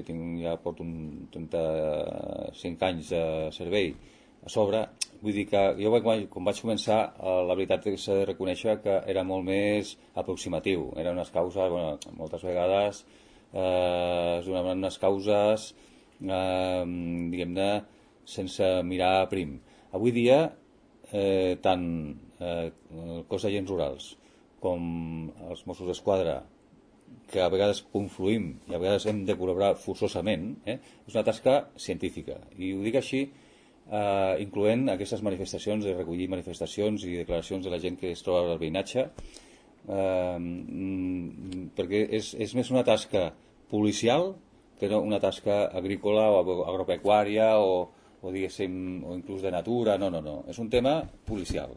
que ja porto 35 anys de servei a sobre, vull dir que jo quan vaig començar, la veritat és que s'ha de reconèixer que era molt més aproximatiu, eren unes causes, moltes vegades es donaven unes causes diguem-ne sense mirar prim. Avui dia tant el cos d'agents rurals com els Mossos d'Esquadra, que a vegades confluïm i a vegades hem de col·laborar forçosament, és una tasca científica, i ho dic així incloent aquestes manifestacions, de recollir manifestacions i declaracions de la gent que es troba al veïnatge, perquè és més una tasca policial que no una tasca agrícola o agropecuària o diguéssim, o inclús de natura. No, és un tema policial.